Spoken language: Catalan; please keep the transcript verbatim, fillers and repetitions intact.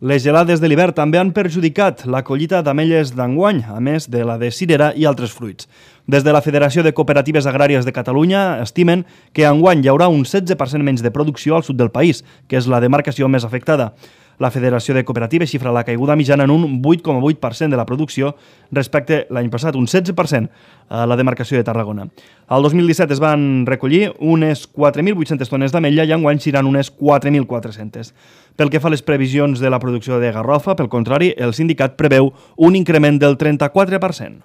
Les gelades de l'hivern també han perjudicat la collita d'ametlles d'enguany, a més de la de cirera i altres fruits. Des de la Federació de Cooperatives Agràries de Catalunya estimen que enguany hi haurà un setze per cent menys de producció al sud del país, que és la demarcació més afectada. La Federació de Cooperatives xifra la caiguda mitjana en un vuit coma vuit per cent de la producció respecte l'any passat, un setze per cent a la demarcació de Tarragona. El dos mil disset es van recollir unes quatre mil vuit-centes tones d'ametlla i enguany seran unes quatre mil quatre-centes. Pel que fa a les previsions de la producció de garrofa, pel contrari, el sindicat preveu un increment del trenta-quatre per cent.